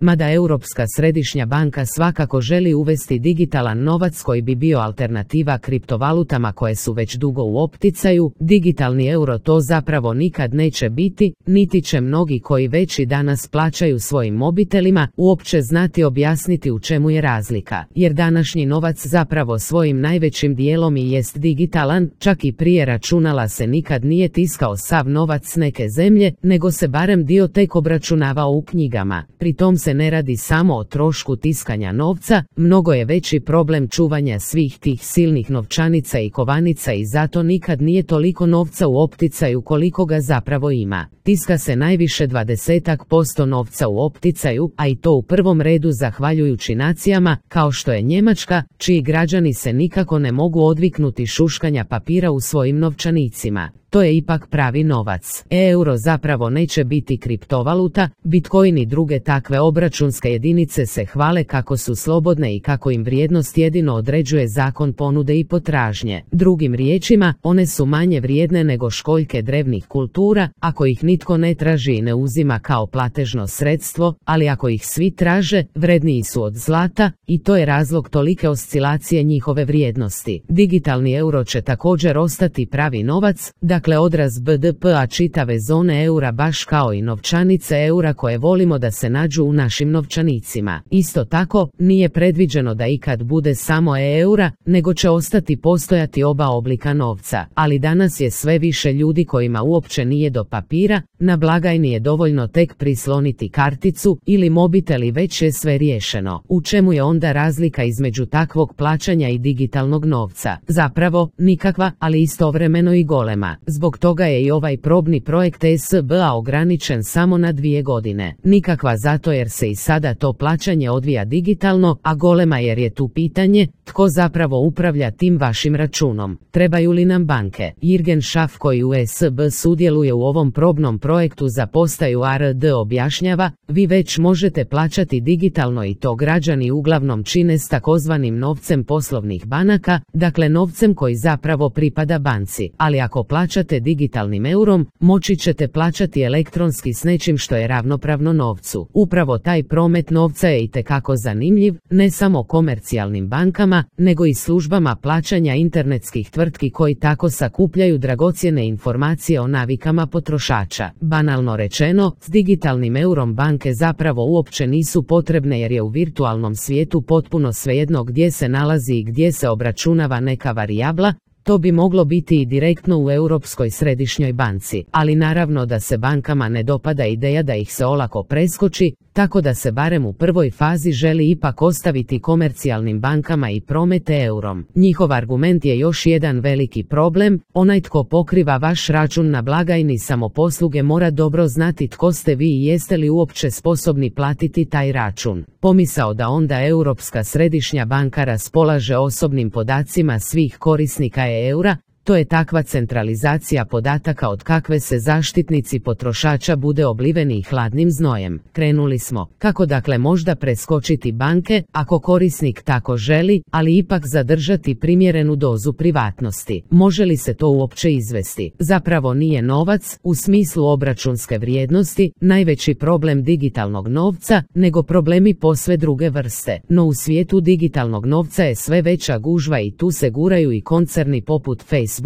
Mada Europska središnja banka svakako želi uvesti digitalan novac koji bi bio alternativa kriptovalutama koje su već dugo u opticaju, digitalni euro to zapravo nikad neće biti, niti će mnogi koji već i danas plaćaju svojim mobitelima uopće znati objasniti u čemu je razlika, jer današnji novac zapravo svojim najvećim dijelom i jest digitalan, čak i prije računala se nikad nije tiskao sav novac neke zemlje, nego se barem dio tek obračunavao u knjigama. Pri tom se ne radi samo o trošku tiskanja novca, mnogo je veći problem čuvanja svih tih silnih novčanica i kovanica i zato nikad nije toliko novca u opticaju koliko ga zapravo ima. Tiska se najviše 20% novca u opticaju, a i to u prvom redu zahvaljujući nacijama, kao što je Njemačka, čiji građani se nikako ne mogu odviknuti šuškanja papira u svojim novčanicima. To je ipak pravi novac. Euro zapravo neće biti kriptovaluta, Bitcoin i druge takve obračunske jedinice se hvale kako su slobodne i kako im vrijednost jedino određuje zakon ponude i potražnje. Drugim riječima, one su manje vrijedne nego školjke drevnih kultura, ako ih nitko ne traži i ne uzima kao platežno sredstvo, ali ako ih svi traže, vredniji su od zlata i to je razlog tolike oscilacije njihove vrijednosti. Digitalni euro će također ostati pravi novac, dakle odraz BDP-a čitave zone eura baš kao i novčanice eura koje volimo da se nađu u našim novčanicima. Isto tako, nije predviđeno da ikad bude samo eura, nego će ostati postojati oba oblika novca, ali danas je sve više ljudi kojima uopće nije do papira, na blagajni je dovoljno tek prisloniti karticu ili mobitel i već je sve riješeno. U čemu je onda razlika između takvog plaćanja i digitalnog novca? Zapravo, nikakva, ali istovremeno i golema. Zbog toga je i ovaj probni projekt SBA ograničen samo na 2 godine. Nikakva zato jer se i sada to plaćanje odvija digitalno, a golema jer je tu pitanje tko zapravo upravlja tim vašim računom. Trebaju li nam banke? Jürgen Schaff koji u SB sudjeluje u ovom probnom projektu za postaju ARD objašnjava, vi već možete plaćati digitalno i to građani uglavnom čine s takozvanim novcem poslovnih banaka, dakle novcem koji zapravo pripada banci, ali ako plaćate digitalnim eurom, moći ćete plaćati elektronski s nečim što je ravnopravno novcu. Upravo taj promet novca je itekako zanimljiv, ne samo komercijalnim bankama, nego i službama plaćanja internetskih tvrtki koji tako sakupljaju dragocjene informacije o navikama potrošača. Banalno rečeno, s digitalnim eurom banke zapravo uopće nisu potrebne jer je u virtualnom svijetu potpuno svejedno gdje se nalazi i gdje se obračunava neka varijabla. To bi moglo biti i direktno u Europskoj središnjoj banci, ali naravno da se bankama ne dopada ideja da ih se olako preskoči, tako da se barem u prvoj fazi želi ipak ostaviti komercijalnim bankama i promete eurom. Njihov argument je još jedan veliki problem, onaj tko pokriva vaš račun na blagajni samoposluge mora dobro znati tko ste vi i jeste li uopće sposobni platiti taj račun. Pomisao da onda Europska središnja banka raspolaže osobnim podacima svih korisnika eura, to je takva centralizacija podataka od kakve se zaštitnici potrošača bude obliveni hladnim znojem. Krenuli smo. Kako dakle možda preskočiti banke, ako korisnik tako želi, ali ipak zadržati primjerenu dozu privatnosti? Može li se to uopće izvesti? Zapravo nije novac, u smislu obračunske vrijednosti, najveći problem digitalnog novca, nego problemi posve druge vrste. No u svijetu digitalnog novca je sve veća gužva i tu se guraju i koncerni poput Facebooka,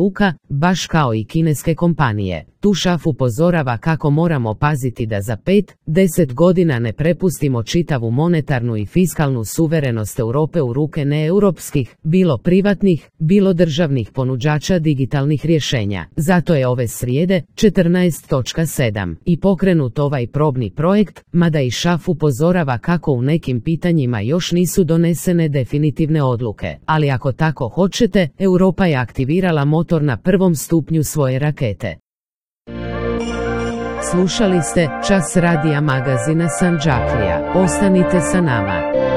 baš kao i kineske kompanije. Tu Schaff upozorava kako moramo paziti da za 5-10 godina ne prepustimo čitavu monetarnu i fiskalnu suverenost Europe u ruke neeuropskih, bilo privatnih, bilo državnih ponuđača digitalnih rješenja. Zato je ove srijede, 14.7. i pokrenut ovaj probni projekt, mada i Schaff upozorava kako u nekim pitanjima još nisu donesene definitivne odluke. Ali ako tako hoćete, Europa je aktivirala motor na prvom stupnju svoje rakete. Slušali ste Čas radija magazina Sandžaklija. Ostanite sa nama.